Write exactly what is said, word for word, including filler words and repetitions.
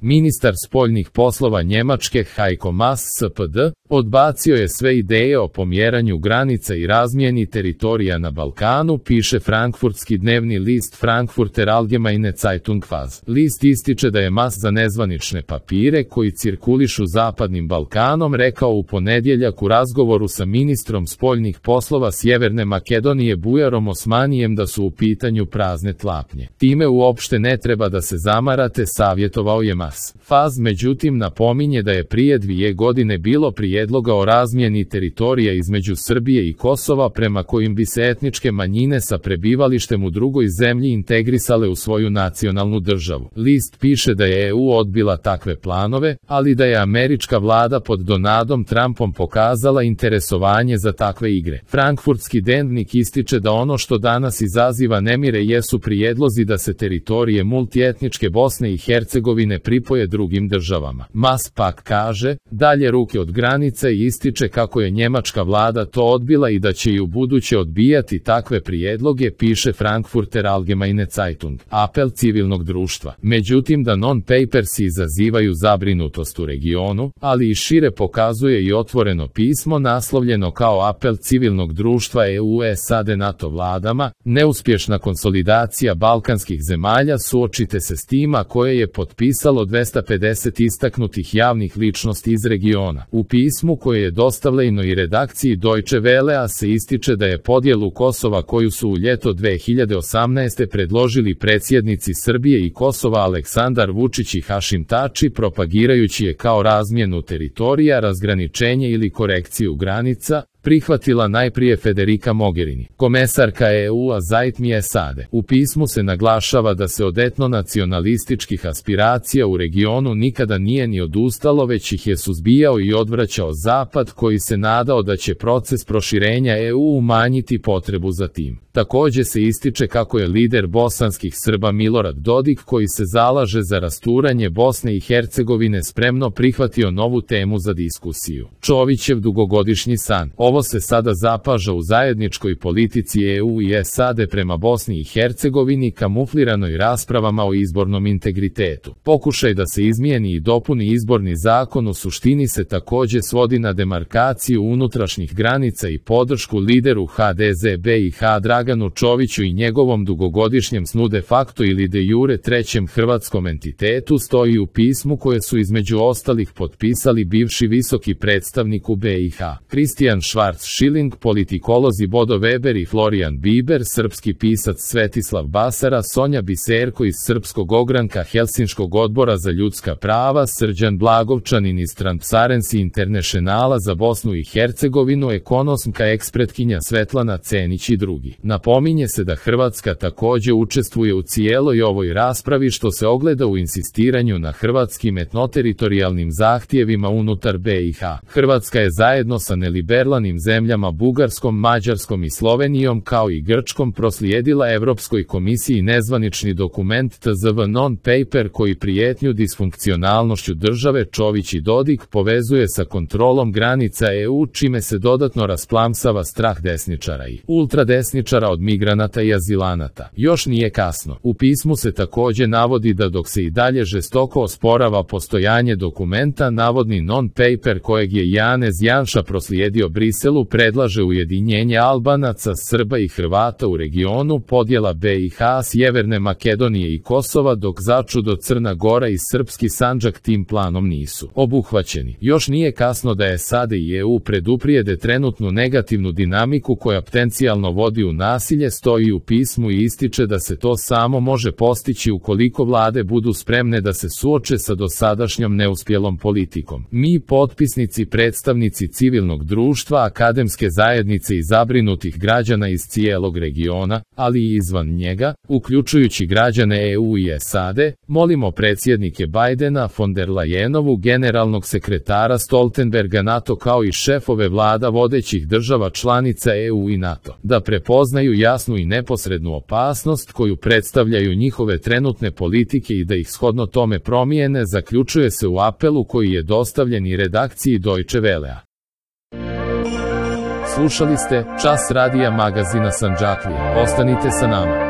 Ministar spoljnih poslova Njemačke Heiko Maas S P D odbacio je sve ideje o pomjeranju granica i razmjeni teritorija na Balkanu, piše frankfurtski dnevni list Frankfurter Allgemeine Zeitung F A Z. List ističe da je Maas za nezvanične papire koji cirkulišu zapadnim Balkanom rekao u ponedjeljak u razgovoru sa ministrom spoljnih poslova Sjeverne Makedonije Bujarom Osmanijem da su u pitanju prazne tlapnje. Time uopšte ne treba da se zamarate, savjetovao je Maas. F A Z međutim napominje da je prije dvije godine bilo prijedloga o razmjeni teritorija između Srbije i Kosova prema kojim bi se etničke manjine sa prebivalištem u drugoj zemlji integrisale u svoju nacionalnu državu. List piše da je E U odbila takve planove, ali da je američka vlada pod Donaldom Trumpom pokazala interesovanje za takve igre. Frankfurtski dnevnik ističe da ono što danas izaziva nemire jesu prijedlozi da se teritorije multietničke Bosne i Hercegovine pripoje drugim državama. Maas pak kaže, dalje ruke od granice i ističe kako je njemačka vlada to odbila i da će i u buduće odbijati takve prijedloge, piše Frankfurter Allgemeine Zeitung. Apel civilnog društva. Međutim da non-papersi izazivaju zabrinutost u regionu, ali i šire pokazuje i otvoreno pismo naslovljeno kao apel civilnog društva E U S A D NATO vladama, neuspješna konsolidacija balkanskih zemalja, suočite se s tima koje je potpisalo dvesta pedeset istaknutih javnih ličnosti iz regiona. U pismu koje je dostavljeno i redakciji Deutsche Wellea se ističe da je podjelu Kosova koju su u ljeto dve hiljade osamnaeste predložili predsjednici Srbije i Kosova Aleksandar Vučić i Hašim Tači propagirajući je kao razmjenu teritorija, razgraničenje ili korekciju granica, prihvatila najprije Federica Mogherini, komesarka E U-a za E T M I S A D. U pismu se naglašava da se od etnonacionalističkih aspiracija u regionu nikada nije ni odustalo, već ih je suzbijao i odvraćao Zapad koji se nadao da će proces proširenja E U umanjiti potrebu za tim. Također se ističe kako je lider bosanskih Srba Milorad Dodik, koji se zalaže za rasturanje Bosne i Hercegovine, spremno prihvatio novu temu za diskusiju. Čovićev dugogodišnji san. Ovo se sada zapaža u zajedničkoj politici E U i S A D prema Bosni i Hercegovini, kamufliranoj raspravama o izbornom integritetu. Pokušaj da se izmijeni i dopuni izborni zakon u suštini se također svodi na demarkaciju unutrašnjih granica i podršku lideru H D Z B i H Draganu Čoviću i njegovom dugogodišnjem snu de facto ili de jure trećem hrvatskom entitetu, stoji u pismu koje su između ostalih potpisali bivši visoki predstavnik u B i H, Kristijan Schwarz-Schilling, politikolozi Bodo Weber i Florian Biber, srpski pisac Svetislav Basara, Sonja Biserko iz Srpskog ogranka Helsinškog odbora za ljudska prava, Srđan Blagovčanin iz Transparency Internationala za Bosnu i Hercegovinu, ekonomska ekspretkinja Svetlana Cenić i drugi. Napominje se da Hrvatska također učestvuje u cijeloj ovoj raspravi, što se ogleda u insistiranju na hrvatskim etnoteritorijalnim zahtjevima unutar B i H. Hrvatska je zajedno sa neliberalnim zemljama Bugarskom, Mađarskom i Slovenijom kao i Grčkom proslijedila Europskoj komisiji nezvanični dokument T Z V non-paper koji prijetnju disfunkcionalnošću države Čović i Dodik povezuje sa kontrolom granica E U, čime se dodatno rasplamsava strah desničara i ultradesničara od migranata i azilanata. Još nije kasno. U pismu se također navodi da dok se i dalje žestoko osporava postojanje dokumenta, navodni non-paper kojeg je Janez Janša proslijedio Briselu predlaže ujedinjenje Albanaca, Srba i Hrvata u regionu, podjela B i H, Sjeverne Makedonije i Kosova, dok začudo Crna Gora i srpski Sandžak tim planom nisu obuhvaćeni. Još nije kasno da S A D i E U preduprijede trenutnu negativnu dinamiku koja potencijalno vodi u nasilje, stoji u pismu i ističe da se to samo može postići ukoliko vlade budu spremne da se suoče sa dosadašnjom neuspjelom politikom. Mi, potpisnici, predstavnici civilnog društva, akademske zajednice i zabrinutih građana iz cijelog regiona, ali i izvan njega, uključujući građane E U i S A D, molimo predsjednike Bajdena, von der Leyenovu, generalnog sekretara Stoltenberga, NATO kao i šefove vlada vodećih država članica E U i NATO, da prepoznaju jasnu i neposrednu opasnost koju predstavljaju njihove trenutne politike i da ih shodno tome promijene, zaključuje se u apelu koji je dostavljen i redakciji Deutsche Wellea. Slušali ste Čas radija magazina Sandžaklije. Ostanite sa nama.